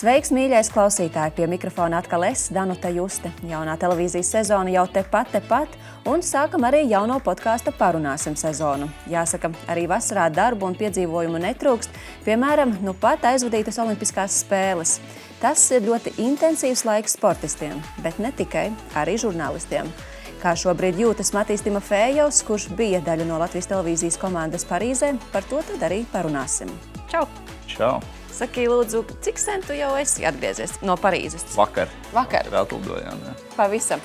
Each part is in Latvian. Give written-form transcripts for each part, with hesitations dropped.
Sveiks, mīļais klausītāji! Pie mikrofona atkal es, Danuta Juste. Jaunā televīzijas sezona jau tepat, un sākam arī jauno podkāsta Parunāsim sezonu. Jāsaka, arī vasarā darbu un piedzīvojumu netrūkst, piemēram, nu pat aizvadītas olimpiskās spēles. Tas ir ļoti intensīvs laiks sportistiem, bet ne tikai, arī žurnālistiem. Kā šobrīd jūtas Matīs Timofejovs, kurš bija daļa no Latvijas televīzijas komandas Parīzē, par to tad arī parunāsim. Čau! Čau! Saki, lūdzu, cik sen tu jau esi atgriezies no Parīzes? Vakar. Vakar? Atlidojām, jā. Pavisam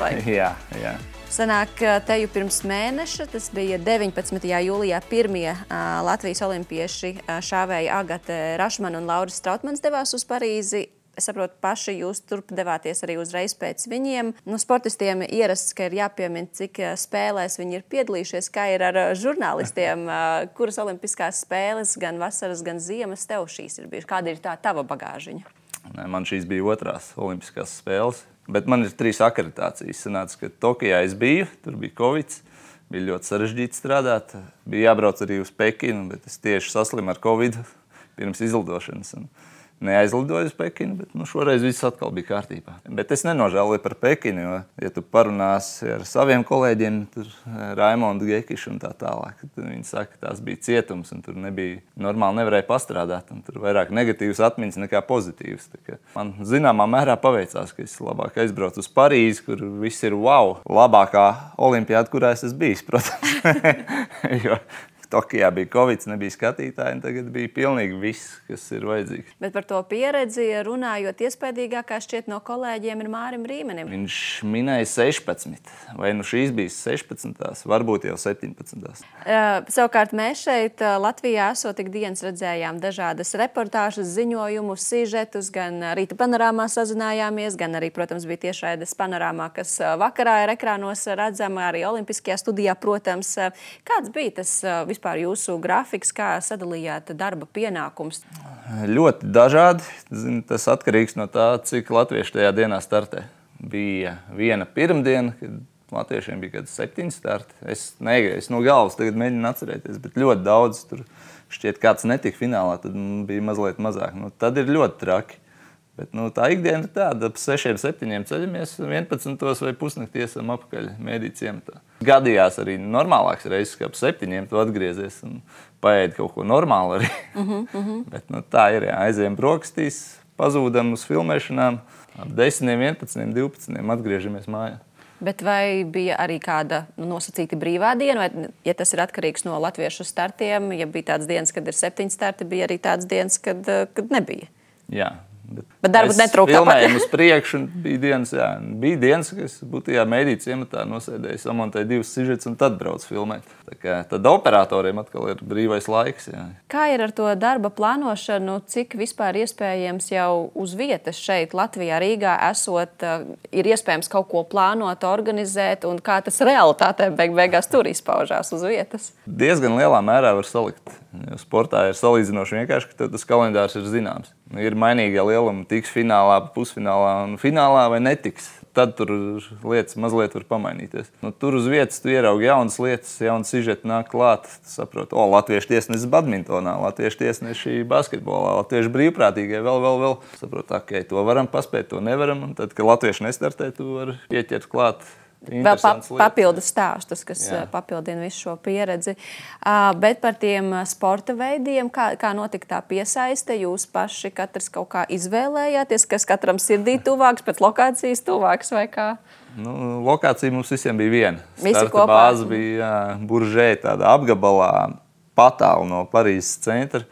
laika. Jā. Sanāk, teju pirms mēneša, tas bija 19. jūlijā, pirmie Latvijas olimpieši šāvēja Agate Rašmana un Lauris Strautmans devās uz Parīzi. Es saprotu, paši jūs turp devāties arī uzreiz pēc viņiem. Sportistiem ierasts, ka ir jāpiemina, cik spēlēs viņi ir piedalījušies, kā ir ar žurnālistiem, kuras olimpiskās spēles, gan vasaras, gan ziemas tev šīs ir bijušas. Kāda ir tā tava bagāžiņa? Man šīs bija otrās olimpiskās spēles, bet man ir 3 akreditācijas. Sanāca, ka Tokijā es biju, tur bija Covid, bija ļoti sarežģīti strādāt. Bija jābrauc arī uz Pekinu, bet es tieši saslimu ar Covid pirms izlidošanas. Neaizlidoju uz Pekinu, bet šoreiz viss atkal bija kārtībā. Bet es nenožēloju par Pekinu, jo, ja tu parunāsi ar saviem kolēģiem, tur Raimondu Gekišu un tā tālāk, tad viņi saka, ka tās bija cietums un tur nebija, normāli nevarēja pastrādāt, un tur vairāk negatīvas atmiņas nekā pozitīvas. Man zināmā mērā paveicās, ka es labāk aizbraucu uz Parīzi, kur viss ir wow, labākā olimpiāda, kurā es esmu bijis, protams. Jo Tokijā bija Covid, nebija skatītāji, un tagad bija pilnīgi viss, kas ir vajadzīgs. Bet par to pieredzi runājot, iespējīgākā šķiet no kolēģiem ir Mārim Rīmenim. Viņš minēja 16, vai šīs bija 16, varbūt jau 17. Savukārt mēs šeit Latvijā esot ikdienas redzējām dažādas reportāžas, ziņojumus, sižetus, gan Rīta panorāmā sazinājāmies, gan arī, protams, bija tiešraides panorāmā, kas vakarā ir ekrānos redzama, arī Olimpiskajā studijā, protams. Kāds bija tas vispār jūsu grafiks, kā sadalījāt darba pienākums? Ļoti dažādi. Tas atkarīgs no tā, cik latvieši tajā dienā startē. Bija viena pirmdiena, kad latviešiem bija kāds 7 starti. Es no galvas tagad mēģinu atcerēties, bet ļoti daudz. Tur šķiet kāds netika finālā, tad bija mazliet mazāk. Tad ir ļoti traki. Bet tā ikdiena ir tāda, ap 6-7 ceļamies, 11 vai pusnaktī esam apakaļ mēdī ciematā. Gadījās arī normālāks reizes, ka ap 7 tu atgriezies un paēdi kaut ko normālu arī. Bet tā ir, aizējam brokastīs, pazūdam uz filmēšanām, ap 10, 11, 12 atgriežamies mājā. Bet vai bija arī kāda nosacīta brīvā diena, vai, ja tas ir atkarīgs no latviešu startiem, ja bija tāds dienas, kad ir 7 starti, bija arī tāds dienas, kad nebija? Jā. Bet darbu netrūka. Mēs filmējam uz priekšu, un bija dienas, ka es būtu mēdī ciematā nosēdēju, samontēju 2 sižetus un tad braucu filmēt. Tad operatoriem atkal ir brīvais laiks. Jā. Kā ir ar to darba plānošanu, cik vispār iespējams jau uz vietas šeit Latvijā, Rīgā esot, ir iespējams kaut ko plānot, organizēt, un kā tas realitātē beigās tur izpaužās uz vietas? Diezgan lielā mērā var salikt. Jo sportā ir salīdzinoši vienkārši, ka tas kalendārs ir zināms. Ir mainīgie lielumi, tiks finālā, pusfinālā un finālā vai netiks. Tad tur lietas mazliet var pamainīties. Tur uz vietas tu ieraugi jaunas lietas, jaunas sižeti nāk klāt. Tu saproti, latviešu tiesnesis badmintonā, latviešu tiesneši basketbolā, latviešu brīvprātīgie, vēl. Saproti, to varam paspēt, to nevaram. Un tad, kad latvieši nestartē, tu vari pieķert klāt. Vēl papildu stāstus, kas papildina visu šo pieredzi. Bet par tiem sporta veidiem, kā notika tā piesaiste, jūs paši katrs kaut kā izvēlējāties, kas katram sirdī tuvāks, pēc lokācijas tuvāks vai kā? Lokācija mums visiem bija viena. Visi Starta kopā. Bāze bija Buržē, tādā apgabalā, patālu no Parīzes centra.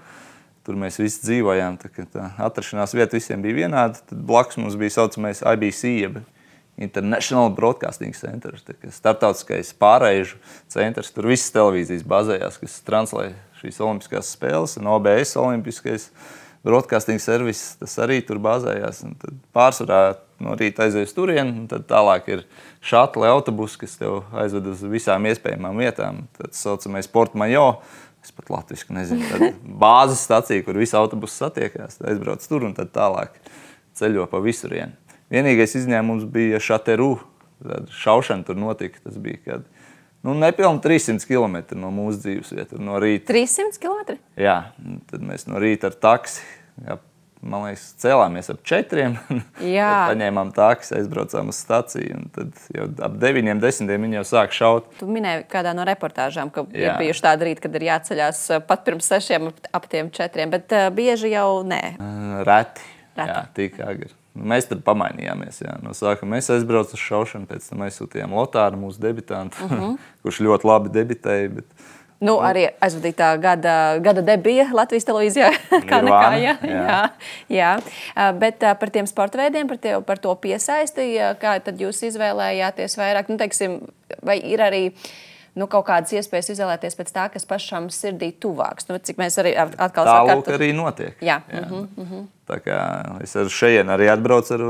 Tur mēs visi dzīvojām, tā atrašanās vieta visiem bija vienāda. Tad blakus mums bija saucamais IBC, jeb International Broadcasting Center, starptautiskais pārēžu centrs. Tur visas televīzijas bazējās, kas translē šīs olimpiskās spēles, un OBS olimpiskais broadcasting service, tas arī tur bazējās. Un tad pārsvarā no rīta aizies turien, un tad tālāk ir šatli autobusi, kas tev aizved uz visām iespējamām vietām. Tad saucamais Port Majo, es pat latviski nezinu, tad bāzes stacija, kur visi autobusi satiekās, aizbrauc tur un tad tālāk ceļo pa visurienu. Vienīgais izņēmums bija Šateru. Šaušana tur notika. Tas bija kad nepilni 300 km no mūsu dzīves vietas no rīta. 300 km? Jā. Tad mēs no rīta ar taksi man liekas, cēlāmies ap 4. Paņēmām tāks, aizbraucām uz staciju. Un tad jau ap 9, 10 viņi jau sāk šaut. Tu minēji kādā no reportāžām, ka ir bijuši tādi rīti, kad ir jāceļās pat pirms 6 ap tiem 4, bet bieži jau nē. Reti. Jā, tik agri. Mēs tad pamainījāmies. Jā. No sākuma mēs aizbraucām uz šaušanu, pēc tam aizsūtījām Lotāru, mūsu debitantu, kurš ļoti labi debitēja. Bet... arī aizvadītā gada debija Latvijas televīzijā. Kā nekā, jā. Bet par tiem sporta veidiem, par to piesaisti, kā tad jūs izvēlējāties vairāk? Teiksim, vai ir arī kaut kādas iespējas izvēlēties pēc tā, kas pašam sirdī tuvāks? Cik mēs arī atkal sakārtot. Tā lūk arī notiek. Jā. Tā kā es ar šeien arī atbraucu ar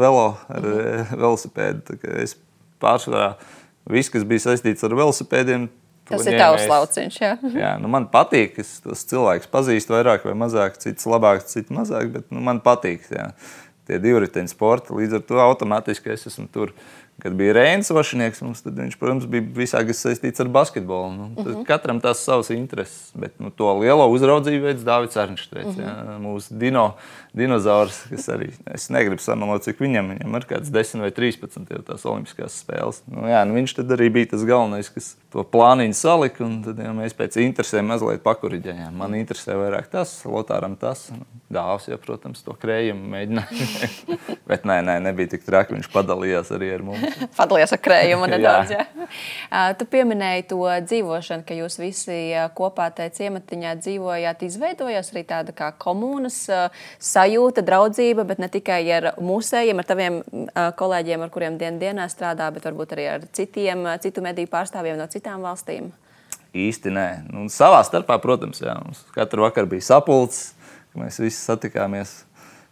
velosipēdu. Tā kā es pārsvarā viss, kas bija saistīts ar velosipēdiem, tas ir tavs lauciņš, jā. Jā, man patīk, es tos cilvēkus pazīstu vairāk vai mazāk, cits labāk, cits mazāk, bet man patīk tie divriteņu sporti. Līdz ar to automātiski es esmu tur. Kad bija Reinis Vašinieks, tad viņš, protams, bija visā, kas saistīts ar basketbolu. Katram tās savas intereses, bet to lielo uzraudzību veids Dāvids Arnšteits, mūsu dinozaurs, kas arī, es negribu samalot, cik viņam ir kāds 10 vai 13 jau tās olimpiskās spēles. Viņš tad arī bija tas galvenais, kas to plāniņu salika, un tad mēs pēc interesēm mazliet pakuriģējām. Man interesē vairāk tas, Lotāram tas, Dāvs, ja, protams, to krējumu mēģināja. Bet nebija tik traki, viņš padalījās arī ar mums. Padalījās ar krējumu nedaudz, jā. Tu pieminēji to dzīvošanu, ka jūs visi kopā tajā ciematiņā dzīvojāt, izveidojās arī tāda kā komunas sajūta, draudzība, bet ne tikai ar mūsējiem, ar taviem kolēģiem, ar kuriem dienā strādā, bet varbūt arī ar citu mediju pārstāvjiem no citām valstīm? Īsti nē. Savā starpā, protams, jā. Mums katru vakaru bija sapulcs, ka mēs visi satikāmies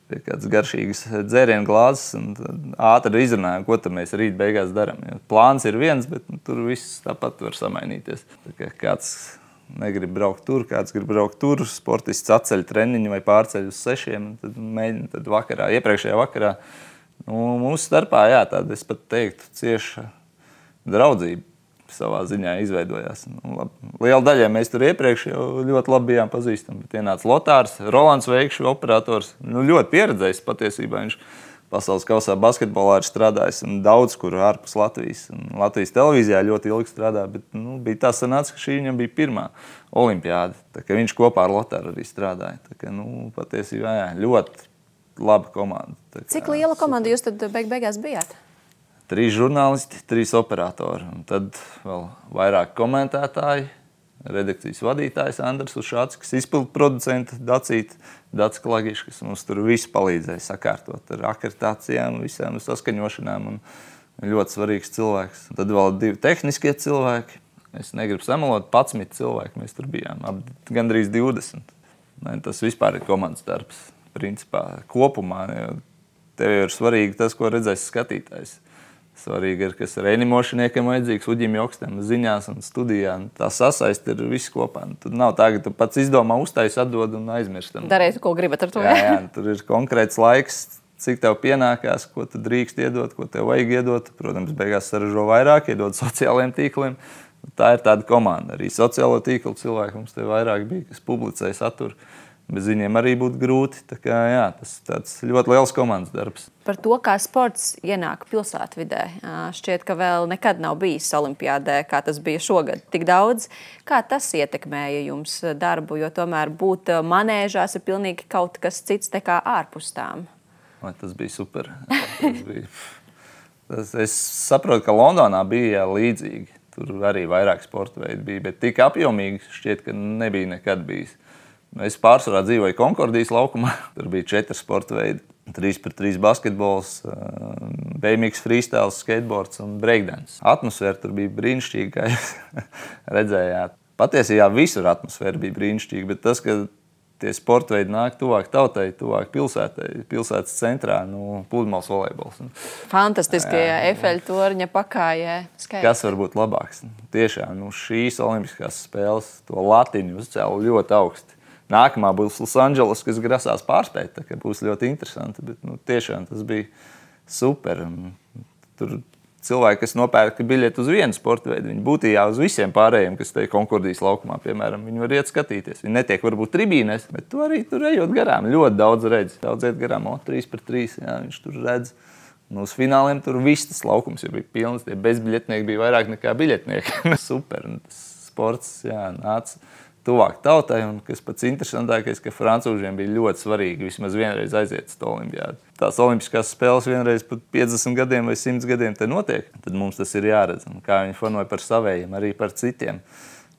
pie kādas garšīgas dzērienu glāzes un ātri izrunājām, ko tad mēs rīt beigās darām. Plāns ir viens, bet tur viss tāpat var samainīties. Tā kā kāds negrib braukt tur, kāds grib braukt tur, sportists atceļ treniņu vai pārceļ uz 6, tad mēģina vakarā, iepriekšējā vakarā. Mūsu starpā, jā, tāda, es pat teiktu, cieša draudzība savā ziņā izveidojās. Liela daļā mēs tur iepriekš jau ļoti labi bijām pazīstami, bet ienāca Lotārs, Rolands Veikšs, operators, ļoti pieredzējis patiesībā. Viņš pasaules kausā basketbolā ir strādājis un daudz kur ārpus Latvijas. Un Latvijas televīzijā ļoti ilgi strādā, bet bija tā sanāca, ka šī viņam bija pirmā olimpiāde. Tā kā viņš kopā ar Lotāru arī strādāja. Tā kā, patiesībā, jā, ļoti laba komanda. Tā kā, cik liela komanda jūs tad beigās bijāt? 3 žurnālisti, 3 operatori, un tad vēl vairāk komentētāji, redakcijas vadītājs Andris Ušāckis, izpildu producenti Daci Klagišs, kas mums tur visu palīdzēja sakārtot ar akreditācijām, visām saskaņošanām, un ļoti svarīgs cilvēks. Tad vēl 2 tehniskie cilvēki, es negribu samalot, 11 cilvēki mēs tur bijām, gandrīz 20. Tas vispār ir komandas darbs, principā, kopumā. Tev ir svarīgi tas, ko redzēs skatītājs. Svarīgi ir, kas ir animošaniekam vajadzīgs, Uģim Jokstam, ziņās un studijā. Tā sasaist ir viss kopā. Tur nav tā, ka tu pats izdomā, uztais, atdod un aizmirstam. Dariet, ko gribat ar to. Jā, tur ir konkrēts laiks, cik tev pienākās, ko tu drīkst iedot, ko tev vajag iedot. Protams, beigās saražo vairāk, iedod sociālajiem tīkliem. Tā ir tāda komanda. Arī sociālo tīklu cilvēki mums te vairāk bija, kas publicēja saturu. Bez viņiem arī būtu grūti. Tā kā, jā, tas tāds ļoti liels komandas darbs. Par to, kā sports ienāk pilsētvidē, šķiet, ka vēl nekad nav bijis olimpiādē, kā tas bija šogad tik daudz. Kā tas ietekmēja jums darbu, jo tomēr būt manēžās ir pilnīgi kaut kas cits nekā ārpus tām? Tas bija super. Es saprotu, ka Londonā bija līdzīgi. Tur arī vairāk sporta veidi bija, bet tik apjomīgi šķiet, ka nebija nekad bijis. Es pārsvarā dzīvoju Konkordijas laukumā. Tur bija 4 sporta veidi. 3x3 basketbols, BMX freestyles, skateboards un breakdance. Atmosfēra tur bija brīnišķīga, kā jūs redzējāt. Patiesībā visur atmosfēra bija brīnišķīga, bet tas, ka tie sporta veidi nāk tuvāk tautai, tuvāk pilsētai, pilsētas centrā, pludmales volejbols. Fantastiski, Eifeļa torņa pakājē. Skaisti. Kas var būt labāks? Tiešām, šīs olimpiskās spēles to latiņu uzcēla ļoti augsti. Nākamā būs Losandželos, kas grasās pārspēt, tā kā būs ļoti interesanti, bet tiešām tas bija super. Tur cilvēki, kas nopērka biļeti uz vienu sporta veidu, viņi būtībā uz visiem pārējiem, kas te Konkordijas laukumā, piemēram, viņi var iet skatīties. Viņi netiek varbūt tribīnēs, bet tu arī tur ejot garām. Ļoti daudz redz. Daudz iet garām, 3-3, jā, viņš tur redz. Un uz fināliem tur viss tas laukums jau bija pilns. Tie bezbiļetnieki bija vairāk nekā biļetnieki. Super. Un tas sports, jā, nāca tuvāk tautai, un kas pats interesantākais, ka francūžiem bija ļoti svarīgi vismaz vienreiz aiziet uz olimpiādu. Tās olimpiskās spēles vienreiz pat 50 gadiem vai 100 gadiem te notiek, tad mums tas ir jāredz. Un kā viņi fanoja par savējiem, arī par citiem.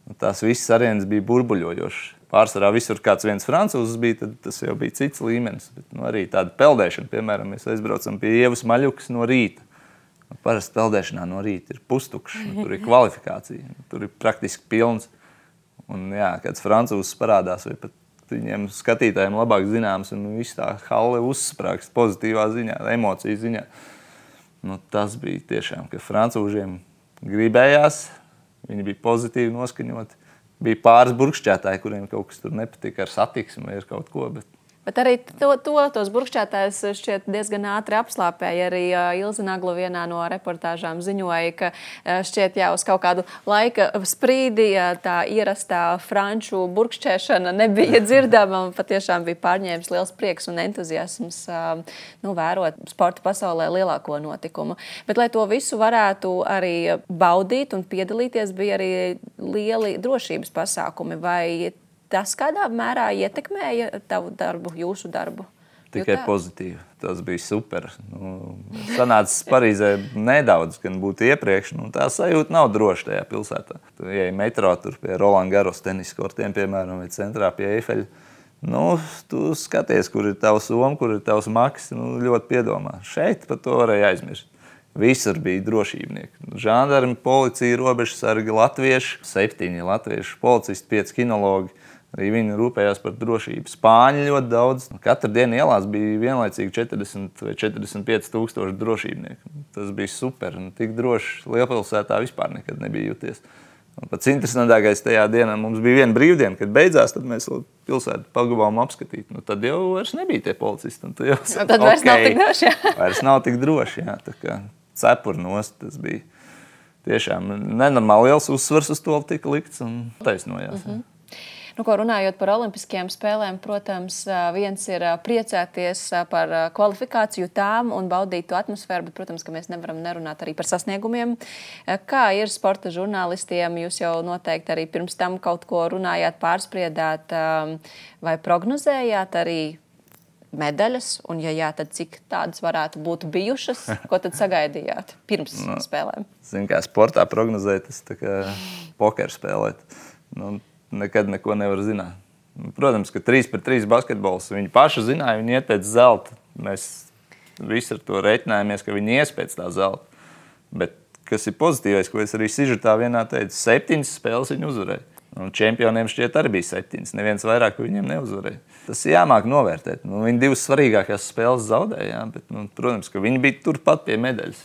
Un tās visas arēnas bija burbuļojošas. Pārsvarā visur kāds viens francūzs bija, tad tas jau bija cits līmenis. Bet, arī tāda peldēšana, piemēram, mēs aizbraucam pie Ievas Maļukas no rīta. Parasti peldēšanā no rīta ir pustukšs, tur ir kvalifikācija, tur ir praktiski pilns. Un jā, kāds francūzs parādās, vai pat viņiem skatītājiem labāk zināms, un viss tā halle uzsprāgst pozitīvā ziņā, emociju ziņā. Nu, tas bija tiešām, ka francūžiem gribējās, viņi bija pozitīvi noskaņoti. Bija pāris burkšķētāji, kuriem kaut kas tur nepatika ar satiksmi vai ar kaut ko, Bet arī tos burkšķētājus šķiet diezgan ātri apslāpēja. Arī Ilze Nagla vienā no reportāžām ziņoja, ka šķiet jau uz kaut kādu laika sprīdi tā ierastā franču burkšķēšana nebija dzirdama. Patiešām bija pārņēmis liels prieks un entuziasms vērot sporta pasaulē lielāko notikumu. Bet, lai to visu varētu arī baudīt un piedalīties, bija arī lieli drošības pasākumi. Vai tas kādā mērā ietekmēja tavu darbu, jūsu darbu? Tikai pozitīvi. Tas bija super. Sanācis Parīzē nedaudz, gan būtu iepriekš. Tā sajūta nav droša tajā pilsētā. Tu ej metro tur pie Roland Garros tenisa kortiem, piemēram, vai centrā pie Eifeļa. Tu skaties, kur ir tavs soma, kur ir tavs maks, ļoti piedomā. Šeit par to varēja aizmirst. Visur bija drošībnieki. Žandarmi, policija, robežsargi, latvieši, 7 latvieši, policisti, 5 kinologi. Arī viņi rūpējās par drošību. Spāņi ļoti daudz. Katru dienu ielās bija vienlaicīgi 40 vai 45 tūkstoši drošībnieku. Tas bija super. Tik droši lielpilsētā vispār nekad nebija jūties. Pats interesantākais tajā dienā mums bija viena brīvdiena, kad beidzās, tad mēs pilsētu pagavām apskatīt. Tad jau vairs nebija tie policisti. Tad vairs nav tik droši. Vairs nav tik droši, jā. Tā kā cepur nost, tas bija tiešām nenormāli liels uzsvars uz to tika likts un taisnojās. Runājot par olimpiskajām spēlēm, protams, viens ir priecāties par kvalifikāciju tām un baudīt to atmosfēru, bet, protams, ka mēs nevaram nerunāt arī par sasniegumiem. Kā ir sporta žurnālistiem? Jūs jau noteikti arī pirms tam kaut ko runājāt, pārspriedāt vai prognozējāt arī medaļas, un ja jā, tad cik tādas varētu būt bijušas? Ko tad sagaidījāt pirms spēlēm? Zinu, kā sportā prognozēt, tas tā kā pokeru spēlēt. Nekad neko nevar zināt. Protams, ka 3-3 basketbols viņi paši zināja, viņi iet pēc zelta. Mēs visi ar to reiķinājāmies, ka viņi ies pēc tā zelta. Bet kas ir pozitīvais, ko es arī sižetā vienā teicu, 7 spēles viņi uzvarēja. Un čempioniem šķiet arī bija 7. Neviens vairāk viņiem neuzvarēja. Tas jāmāk novērtēt. Viņi 2 svarīgākās spēles zaudēja, bet, protams, ka viņi bija turpat pie medaļas.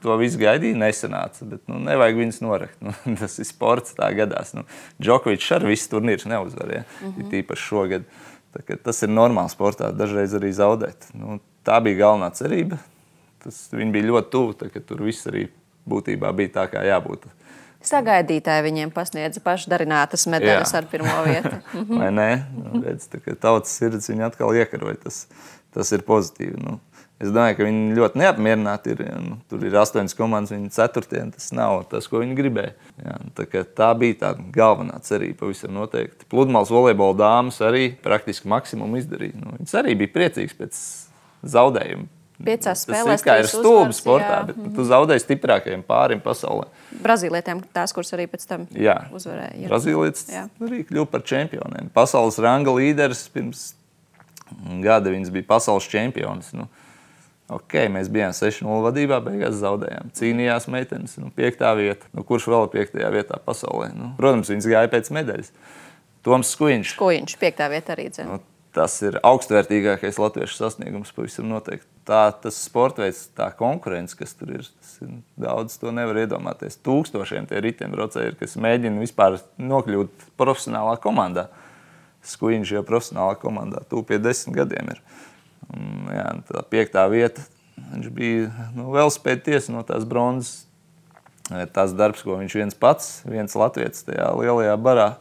To visu gaidīja, nesanāca, bet nevajag viņus norakt. Tas ir sports, tā gadās. Džokovičs arī visus turnīrus neuzvarēja, tīpaši šogad. Tas ir normāli sportā, dažreiz arī zaudēt. Tā bija galvenā cerība. Viņi bija ļoti tuvu, ka tur viss arī būtībā bija tā, kā jābūt. Sagaidītāji viņiem pasniedza pašdarinātas medaļas ar pirmo vietu. Vai ne? Redz, tautas sirds viņi atkal iekaroja. Tas ir pozitīvi. Es domāju, ka viņi ļoti neapmierināti ir. Tur ir 8 komandas, viņi 4. Tas nav tas, ko viņi gribēja. Tā bija tā galvenā cerība pavisam noteikti. Pludmales volejbola dāmas arī praktiski maksimumu izdarīja. Viņas arī bija priecīgas pēc zaudējuma. 5 spēlēs. Tas kā ir stulbi sportā, bet tu zaudēji stiprākajiem pārim pasaulē. Brazīlietiem tās, kuras arī pēc tam uzvarēja. Brazīlietis arī kļuva par čempioniem. Pasaules ranga līderis pirms gada viņas bija pasaules čempionis. Mēs bijām 6-0 vadībā, beigās zaudējām. Cīnījās meitenes, 5. vieta. Kurš vēl 5. vietā pasaulē? Protams, viņas gāja pēc medaļas. Toms Skujiņš. 5. vieta arī dzēn. Tas ir augstvērtīgākais latviešu sasniegums pavisam noteikti. Tas sportveids, tā konkurence, kas tur ir, daudz to nevar iedomāties. Tūkstošiem tie riteņbraucēji ir, kas mēģina vispār nokļūt profesionālā komandā. Skujiņš jau profesionālā komandā, pie 10 gadiem ir. Tā 5. vieta, Viņš bija velospēda tiesa no tās bronzas. Tās darbs, ko viņš viens latvietis tajā lielajā barā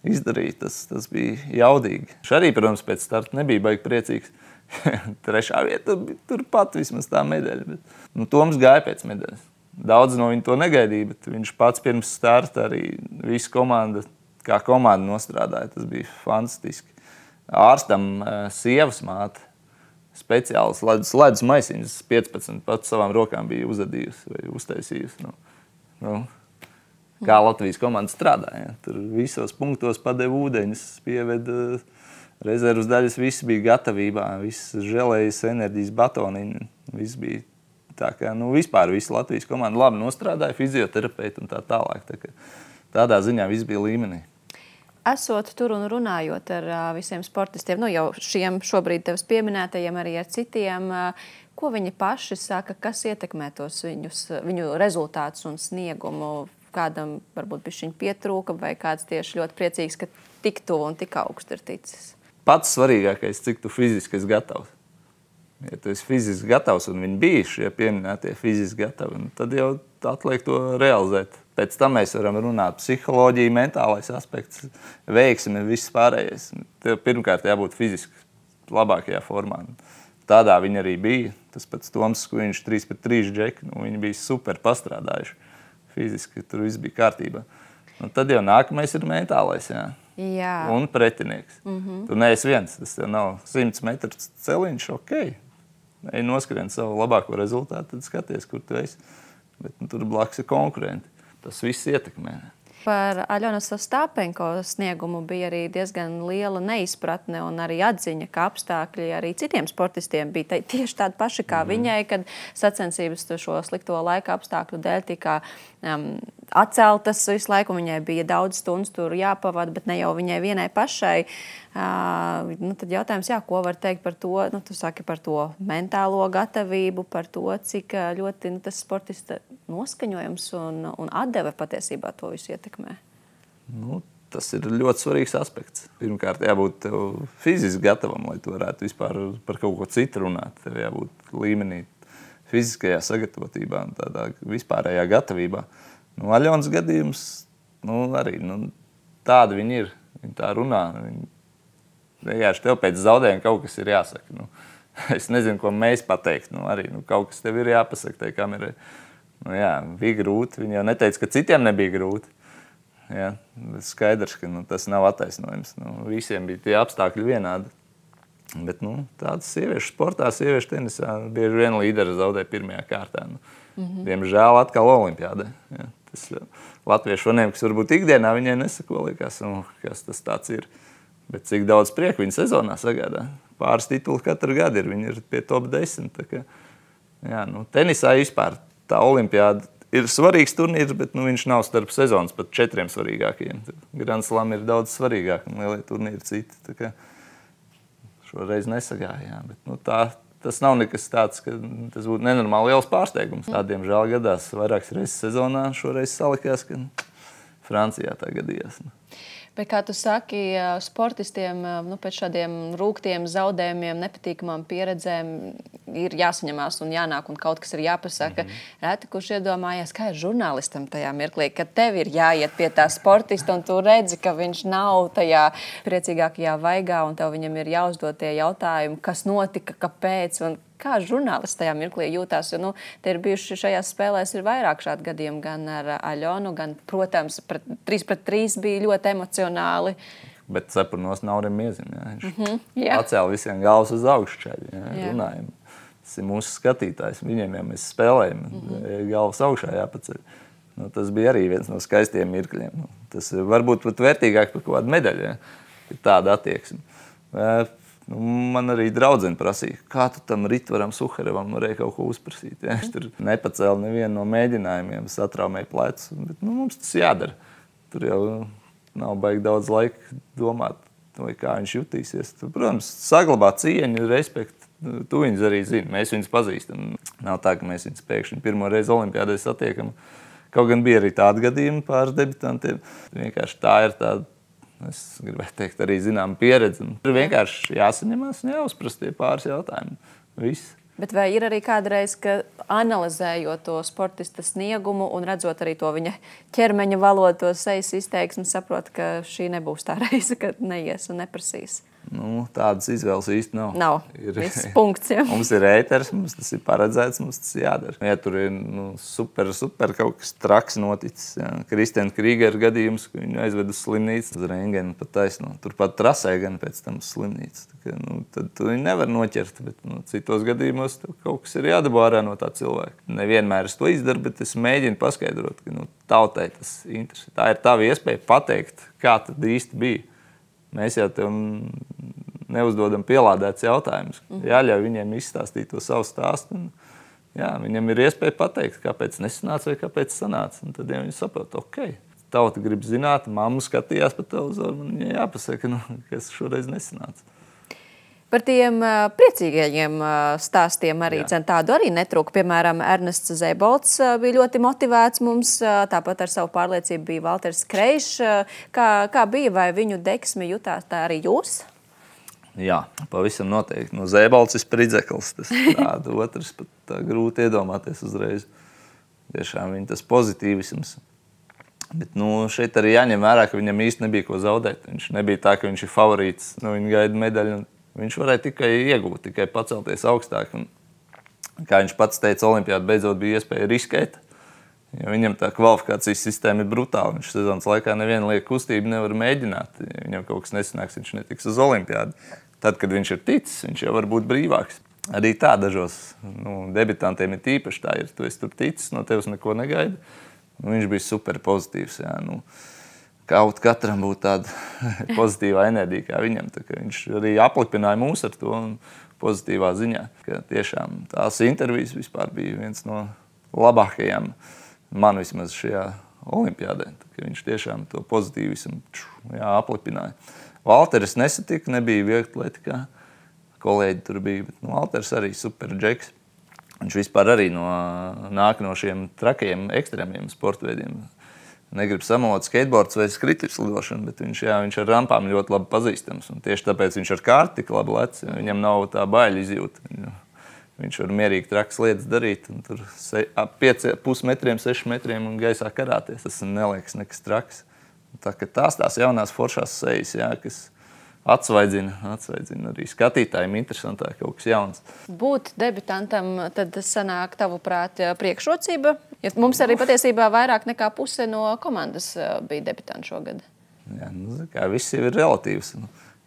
izdarīja, tas bija jaudīgi. Viņš arī, protams, pēc starta nebija baigi priecīgs. 3. vieta turpat vismaz tā medaļa. Bet, Toms gāja pēc medaļas. Daudz no viņa to negaidīja, bet viņš pats pirms starta arī visu komandu, kā komanda nostrādāja. Tas bija fantastiski. Ārstam sievas māte speciāls ledus maisiņas 15 pats savām rokām bija uzadījusi vai uztaisījusi. Kā Latvijas komanda strādāja. Tur visos punktos padeva ūdeņus, pieveda rezervas daļas, viss bija gatavībā, viss želējas enerģijas batoniņi, viss bija tā kā, vispār visa Latvijas komanda labi nostrādāja, fizioterapeiti un tā tālāk. Tādā ziņā viss bija līmenī. Esot tur un runājot ar visiem sportistiem, jau šiem šobrīd tevis pieminētajiem, arī ar citiem, ko viņi paši saka, kas ietekmē tos viņu rezultātus un sniegumu? Kādam varbūt bišķiņ pietrūka vai kāds tieši ļoti priecīgs, ka tik tuvu un tik augstu ir ticis? Pats svarīgākais, cik tu fiziski esi gatavs. Ja tu esi fiziski gatavs un viņi bija šie pieminētie fiziski gatavi, tad jau atliek to realizēt. Pēc tam mēs varam runāt psiholoģija, mentālais aspekts, veiksme, viss pārējais. Tev pirmkārt jābūt fiziski labākajā formā. Tādā viņi arī bija. Tas pats Toms, ko viņš 3-3 džeki, viņi bija super pastrādājuši. Fiziski tur viss bija kārtībā. Un tad jau nākamais ir mentālais, Jā. Un pretinieks. Tu neesi viens, tas jau nav 100 metru celiņš, ok. Ej noskrien savu labāko rezultātu, tad skaties, kur tu esi. Bet tur blakus ir konkurenti. Tas viss ietekmē. Par Aļonas Ostāpenko sniegumu bija arī diezgan liela neizpratne un arī atziņa, ka apstākļi arī citiem sportistiem bija tieši tādi paši kā viņai, kad sacensības šo slikto laika apstākļu dēļ tika atceltas visu laiku. Viņai bija daudz stundas tur jāpavada, bet ne jau viņai vienai pašai. Tad jautājums, ko var teikt par to, tu saki par to mentālo gatavību, par to, cik ļoti tas sportista noskaņojums un atdeve patiesībā to visu ietekmē. Tas ir ļoti svarīgs aspekts. Pirmkārt, jābūt fiziski gatavam, lai tu varētu vispār par kaut ko citu runāt. Tev jābūt līmenī fiziskajā sagatavotībā un tādā vispārējā gatavībā. Aļonas gadījums, arī tāda viņi ir. Viņi tā runā. Vienkārši tev pēc zaudējuma kaut kas ir jāsaka. Es nezinu, ko mēs pateikt. Arī kaut kas tev ir jāpasaka tai kamerai. Bija grūti. Viņi jau neteica, ka citiem nebija grūti. Skaidrs, ka tas nav attaisnojums. Visiem bija tie apstākļi vienādi. Bet tādas sieviešu sportā, sieviešu tenisā bieži vien līderi zaudē pirmajā kārtā. Diemžēl atkal olimpiādē. Tas latviešu faniem, kas varbūt ikdienā viņai nesako, liekas, kas tas tāds ir. Bet cik daudz prieku viņa sezonā sagādā. Pāris tituli katru gadu ir. Viņi ir pie top 10. Tenisā vispār tā olimpiāda ir svarīgs turnīrs, bet viņš nav starp sezonas pat 4 svarīgākajiem. Grand Slam ir daudz svarīgāk un lielie turnīri citi. Tā kā šoreiz nesagāja. Bet, tas nav nekas tāds, ka tas būtu nenormāli liels pārsteigums. Tādiem žēl gadās vairākas reizes sezonā. Šoreiz salikās, ka Francijā tā gadījās. Bet, kā tu saki, sportistiem pēc šādiem rūgtiem zaudējumiem, nepatīkamām pieredzēm ir jāsaņemās un jānāk un kaut kas ir jāpasaka. Reti, kurš iedomājās, kā ir žurnālistam tajā mirklī, kad tev ir jāiet pie tā sportista un tu redzi, ka viņš nav tajā priecīgākajā vaigā un tev viņam ir jāuzdod tie jautājumi, kas notika, kāpēc un kā žurnālists tajā mirklī jūtās, jo te ir bijuši šajās spēlēs ir vairāk šādu gadījumu, gan ar Aļonu, gan, protams, 3-3 bija ļoti emocionāli. Bet cepurnos nav arī miezim, viņš pacēla visiem galvas uz augšu čaļi, runājam. Tas ir mūsu skatītājs, viņiem jau mēs spēlējam, galvas augšā jāpaceļ. Tas bija arī viens no skaistiem mirkļiem. Tas varbūt pat vērtīgāk par kaut kādu medaļu, ir tāda attieksme. Man arī draudzene prasīja, kā tu tam Ritvaram Suharevam varēja kaut ko uzprasīt. Viņš tur nepacēla nevienu no mēģinājumiem, satraumēja plecus. Bet mums tas jādara. Tur jau nav baigi daudz laika domāt, vai kā viņš jutīsies. Tur, protams, saglabāt cieņu, respektu. Tu viņus arī zini, mēs viņus pazīstam. Nav tā, ka mēs viņus pēkšņi pirmo reizi olimpiādē satiekam. Kaut gan bija arī tādi gadījumi pāris debitantiem. Vienkārši tā ir tāda. Es gribētu teikt, arī zinām pieredzi. Tur vienkārši jāsaņemās un jāuzprast tie pāris jautājumi. Viss. Bet vai ir arī kādreiz, ka analizējot to sportista sniegumu un redzot arī to viņa ķermeņa valodu, to sejas izteiksmi, saprot, ka šī nebūs tā reize, kad neies un neprasīs? Tādas izvēles īsti nav. Nav. Viss punkts, ja. Mums ir ēters, mums tas ir paredzēts, mums tas jādara. Ja tur ir super kaut kas traks noticis. Ja. Kristiāna Krīgera gadījums, ka viņu aizved uz slimnīcu, uz rentgenu pat taisno. Turpat trasē gan pēc tam uz slimnīcu. Tad tu viņu nevar noķert, bet citos gadījumos kaut kas ir jādabā ārā no tā cilvēka. Nevienmēr es to izdaru, bet es mēģinu paskaidrot, ka tautai tas interesē. Tā ir tava iespēja pateikt, kā tad īsti bija. Mēs jau tev neuzdodam pielādēts jautājumus. Jāļauj viņiem izstāstīt to savu stāstu. Viņam ir iespēja pateikt, kāpēc nesanāca vai kāpēc sanāca. Un tad viņi saprot, tauta grib zināt, mamma skatījās pa televizoru, man viņai jāpasaka, kas šoreiz nesanāca. Par tiem priecīgajiem stāstiem arī tādu arī netrūka. Piemēram, Ernests Zeibolts bija ļoti motivēts mums, tāpat ar savu pārliecību bija Valters Kreišs. Kā bija, vai viņu deksmi jutāt tā arī jūs? Jā, pavisam noteikti. Zeibolts ir spridzeklis, tas tāda otrs pat tā grūti iedomāties uzreiz. Tiešām viņa tas pozitīvisms. Bet šeit arī jāņem vērā, ka viņam īsti nebija ko zaudēt. Viņš nebija tā, ka viņš ir favorīts, viņa gaida medaļu. Viņš varēja tikai iegūt, tikai pacelties augstāk. Un, kā viņš pats teica, olimpiāda beidzot bija iespēja riskēt. Jo viņam tā kvalifikācijas sistēma ir brutāla. Viņš sezonas laikā nevienu lieku kustību nevar mēģināt. Ja viņam kaut kas nesanāks, viņš netiks uz olimpiādu. Tad, kad viņš ir ticis, viņš jau var būt brīvāks. Arī tā dažos debitantiem ir tīpaši tā ir. Tu esi tur ticis, no tevis neko negaida. Viņš bija super pozitīvs. Jā, Kaut katram būtu tāda pozitīvā enerģija kā viņam. Viņš arī aplipināja mūs ar to pozitīvā ziņā. Ka tiešām tās intervijas vispār bija viens no labākajām man vismaz šajā olimpiādē. Viņš tiešām to pozitīvismu aplipināja. Valteris nesatika, nebija vieglatlētikā. Kolēģi tur bija, bet Valteris arī super džeks. Viņš vispār arī nāk no šiem trakajiem ekstrēmiem sportveidiem. Negrib samalot skateboards vai skrituļslidošanu, bet viņš ar rampām ļoti labi pazīstams. Un tieši tāpēc viņš ar kārti tik labi lec. Viņam nav tā baila izjūta. Viņš var mierīgi trakas lietas darīt. Un tur 5,5 metriem, 6 metriem un gaisā karāties. Tas neliekas nekas traks. Tās jaunās foršās sejas, kas atsvaidzina arī skatītājiem interesantāk kaut kas jauns. Būt debitantam, tad sanāk tavuprāt priekšrocība? Ja mums arī patiesībā vairāk nekā puse no komandas bija debitanti šogad. Jā, viss jau ir relatīvs.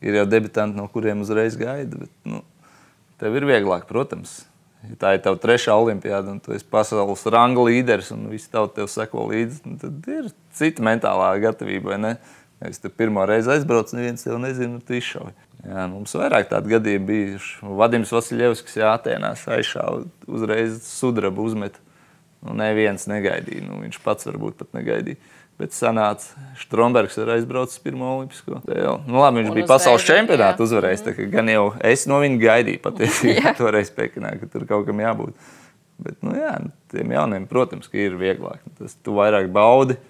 Ir jau debitanti, no kuriem uzreiz gaida, bet tev ir vieglāk, protams. Ja tā ir tava 3. olimpiāda un tu esi pasaules ranga līderis un visi tauta tev seko līdzi, tad ir cita mentālā gatavība, vai ne? Ja es te pirmo reizi aizbraucu, neviens tev nezinu, tu izšauji. Jā, mums vairāk tādu gadījumu bijuši. Vadims Vasiljevskis Atēnās aizšāva, uzreiz sudrabu uzmet. Neviens negaidīja. Viņš pats varbūt pat negaidīja. Bet sanāca, Štrombergs ir aizbraucis pirmo olimpisko. Labi, viņš bija pasaules čempionātu uzvarējis. Gan jau es no viņa gaidīju patiesībā toreiz Pekinā, ka tur kaut kam jābūt. Bet, tiem jauniem, protams, ka ir vieglāk. Tu vairāk baudi.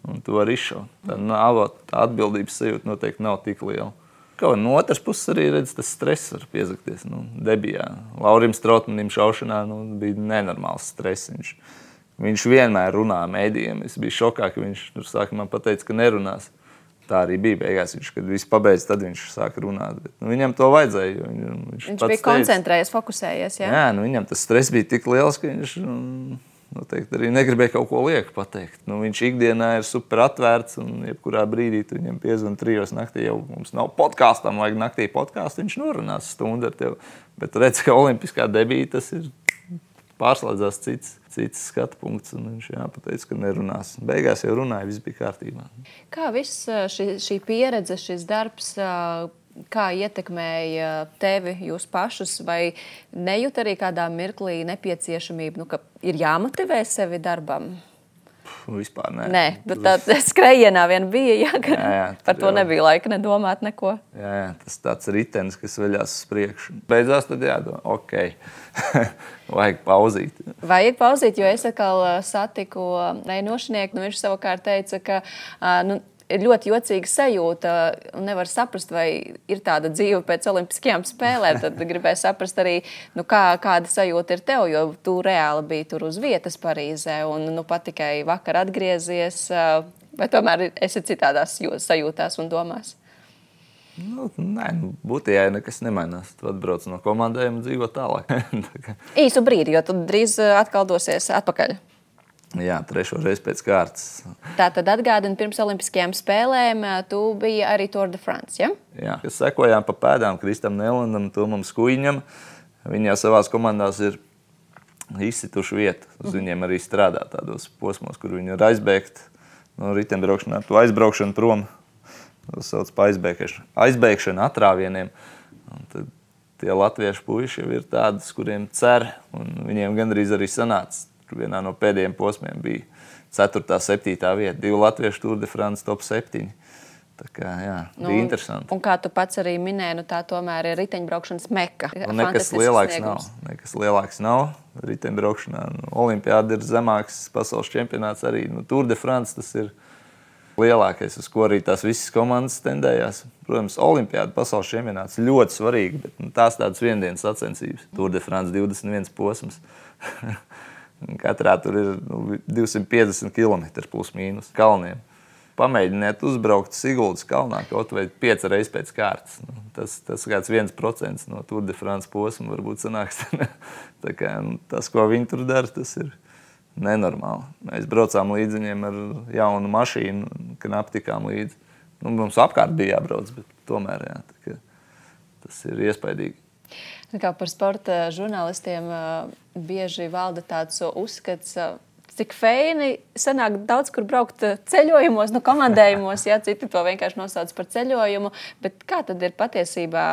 Un tu vari izšaut. Tā atbildības sajūta noteikti nav tik liela. No otras puses arī redz, tas stress var piezakties. Debijā. Laurim Strautmanim šaušanā bija nenormāls stress. Viņš vienmēr runā mēdījiem. Es biju šokā, ka viņš sākumā pateica, ka nerunās. Tā arī bija beigās. Kad viss pabeidz, tad viņš sāka runāt. Bet, viņam to vajadzēja. Viņš bija koncentrējies, fokusējies. Jā? Jā, viņam tas stress bija tik liels, ka viņš... Noteikti arī negribēja kaut ko lieku pateikt. Viņš ikdienā ir super atvērts un jebkurā brīdī tu viņam piezvan 3 naktī. Jau mums nav podkāstam, vajag naktī podkāstu, viņš norunās stundu ar tevi. Bet redz, ka olimpiskā debija tas ir pārslēdzās cits skatu punkts un viņš pateica, ka nerunās. Beigās jau runāja, viss bija kārtībā. Kā viss šī pieredze, šis darbs, kā ietekmēja tevi, jūs pašus, vai nejūt arī kādā mirklī nepieciešamību, ka ir jāmotivē sevi darbam? Vispār nē. Nē, bet tā skrejienā vien bija, par to nebija laika nedomāt neko. Jā, tas tāds ritenis, kas veļās uz priekšu. Beidzās tad jādomā, vajag pauzīt. Vajag pauzīt, jo es atkal satiku Reinošnieku, viņš savukārt teica, ka ir ļoti jocīga sajūta un nevar saprast, vai ir tāda dzīve pēc olimpiskajām spēlēm. Tad gribēju saprast arī, kāda sajūta ir tev, jo tu reāli biji tur uz vietas Parīzē un pat tikai vakar atgriezies. Vai tomēr esi citādās sajūtās un domās? Nē, būtībā nekas nemainās. Tu atbrauc no komandējuma un dzīvo tālāk. Īsu brīdi, jo tu drīz atkal dosies atpakaļ. Jā, 3. reizi pēc kārtas. Tātad atgādini, pirms olimpiskajām spēlēm tu biji arī Tour de France, ja? Jā, kas sekojām pa pēdām Kristam Nelandam, Tomam Skuiņam. Viņi jau savās komandās ir izsituši vietu. Uz viņiem arī strādā tādos posmos, kur viņi ir aizbēgt no riteņbraukšanā, to aizbraukšanu prom. Tas sauc par aizbēgšanu atrāvieniem. Un tad tie latviešu puiši jau ir tādi, kuriem cer, un viņiem gandrīz arī sanāca. Vienā no pēdējiem posmiem bija 4., 7. vieta. 2 latviešu Tour de France top 7. Tā kā, jā, bija interesanti. Un kā tu pats arī minēji, tā tomēr ir riteņbraukšanas meka. Nekas lielāks nav riteņbraukšanā. Olimpiāda ir zemāks pasaules čempionāts arī. Tour de France tas ir lielākais, uz ko arī tās visas komandas tendējās. Protams, Olimpiāda pasaules čempionāts ļoti svarīgi, bet tās tādas viendienas sacensības. Tour de France 21 posms. Katrā tur ir 250 km plus mīnus kalniem. Pamēģiniet uzbraukt Siguldas kalnā kaut vai 5 reizes pēc kārtas. Tas kāds 1% no Tour de France posma varbūt sanāks. Tā kā, tas, ko viņi tur dara, tas ir nenormāli. Mēs braucām līdz viņiem ar jaunu mašīnu, knapi tikām līdzi. Mums apkārt bija jābrauc, bet tomēr jā, tas ir iespaidīgi. Kā par sporta žurnālistiem bieži valda tāds uzskats, cik feini sanāk daudz, kur braukt ceļojumos, komandējumos, ja citi to vienkārši nosauc par ceļojumu, bet kā tad ir patiesībā,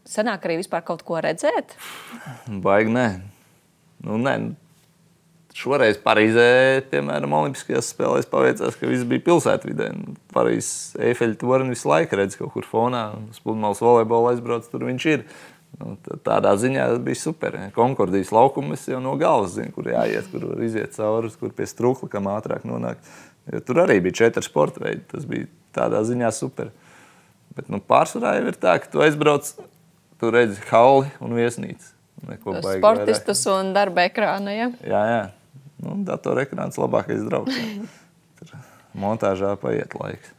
sanāk arī vispār kaut ko redzēt? Baigi nē. Nē. Šoreiz Parīzē, piemēram, olimpiskajās spēlēs paveicās, ka viss bija pilsētvidē. Parīzes Eifeļa torni visu laiku redz kaut kur fonā, uz pludmales volejbola aizbrauc, tur viņš ir. Tādā ziņā bija super. Konkordijas laukumu es jau no galvas zinu, kur jāiet, kur var iziet cauri, kur pie Strukla, kam ātrāk nonāk. Jo tur arī bija 4 sporta veidi, tas bija tādā ziņā super. Bet pārsvarā jau ir tā, ka tu aizbrauc, tu redzi halli un viesnīcu. Sportistus un darba ekrānu, ja? Jā. Datora ekrāns labākais draugs. Tur montāžā paiet laiks.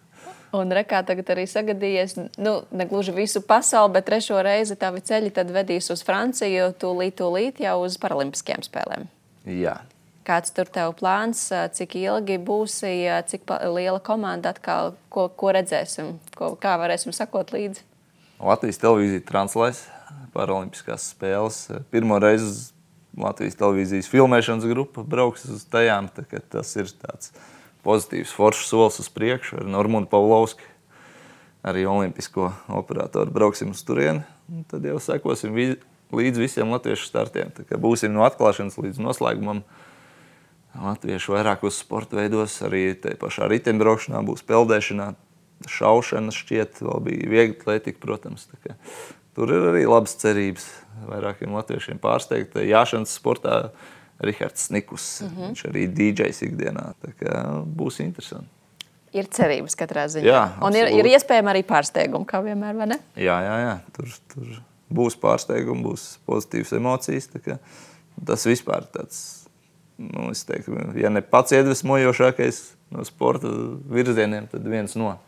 Un rekā tagad arī sagadījies, ne gluži visu pasauli, bet 3. reizi tavi ceļi tad vedīs uz Franciju, tūlīt jau uz paralimpiskajām spēlēm. Jā. Kāds tur tev plāns, cik ilgi būsi, cik liela komanda atkal, ko redzēsim, kā varēsim sakot līdzi? Latvijas televīzija translēs paralimpiskās spēles. Pirmo reizi Latvijas televīzijas filmēšanas grupa brauks uz tajām, tas ir tāds pozitīvs, foršs solis uz priekšu ar Normūnu Pavlovski, arī olimpisko operatoru brauksim uz turieni. Tad jau sekosim līdz visiem latviešu startiem. Būsim no atklāšanas līdz noslēgumam latviešu vairākos sporta veidos, arī te pašā riteņbraukšanā būs peldēšanā, šaušana šķiet, vēl bija viegla atletika, protams. Tur ir arī labas cerības vairākiem latviešiem pārsteigt. Jāšanas sportā Rihards Snikus, viņš arī DJs ikdienā. Būs interesanti. Ir cerības katrā ziņā. Jā, un ir iespējama arī pārsteigumi, kā vienmēr, vai ne? Jā. Tur būs pārsteigumi, būs pozitīvas emocijas. Tas vispār tāds, es teiktu, ja ne pats iedvesmojošākais no sporta virzieniem, tad viens no.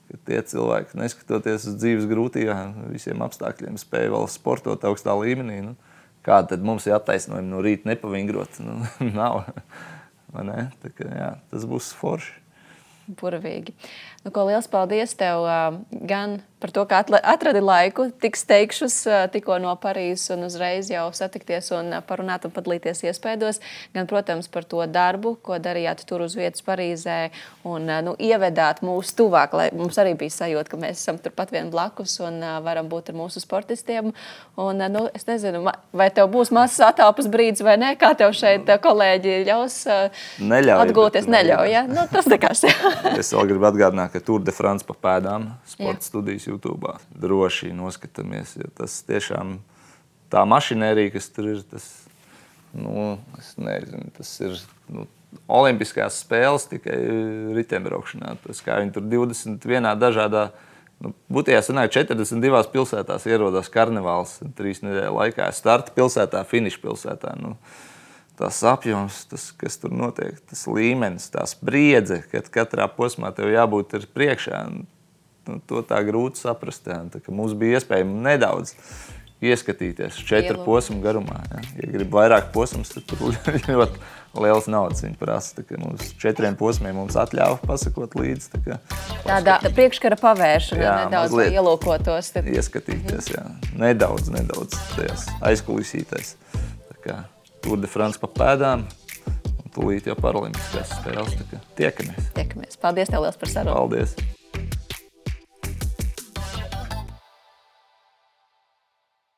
Ka tie cilvēki, neskatoties uz dzīves grūtībām, visiem apstākļiem spēja vēl sportot augstā līmenī. Kāda tad mums ir attaisnojuma no rīta nepavingrot? Nav. Vai ne? Tas būs forši. Burvīgi. Liels paldies tev gan par to, ka atradi laiku tik steigšus tikko no Parīzes un uzreiz jau satikties un parunāt un padalīties iespēdos. Gan, protams, par to darbu, ko darījāt tur uz vietas Parīzē un ievedāt mūs tuvāk, lai mums arī bija sajūta, ka mēs esam turpat vien blakus un varam būt ar mūsu sportistiem. Un, es nezinu, vai tev būs mazs atāpas brīdis vai ne, kā tev šeit kolēģi ļaus atgūties? Neļauj, ja? Tas nekas. Es vēl gribu atgādināt, ka Tour de France pa pēdām sporta studijas YouTube'ā. Droši noskatāmies, jo tas tiešām tā mašinērija, kas tur ir, tas, es nezinu, tas ir olimpiskās spēles tikai riteņbraukšanā. Tas kā viņi tur 21 dažādā, būtībā sanāk 42 pilsētās ierodās karnevāls 3 nedēļu laikā. Starta pilsētā, finiša pilsētā. Tas apjoms, tas, kas tur notiek, tas līmenis, tā spriedze, kad katrā posmā tev jābūt ir priekšā. To tā grūti saprast. Tā, ka mums bija iespēja nedaudz ieskatīties 4 posmu garumā. Ja grib vairāk posmus, tad tur ļoti liels naudas viņi prasa. Mums 4 posmiem mums atļāva pasakot līdzi. Tāda priekškara pavēršana nedaudz ielūkotos. Ieskatīties, jā. Nedaudz tajās aizkulisītais. Tour de France pa pēdām un tūlīt jau paralimpiskās spēles. Tiekamies. Paldies tev liels par sarunu. Paldies.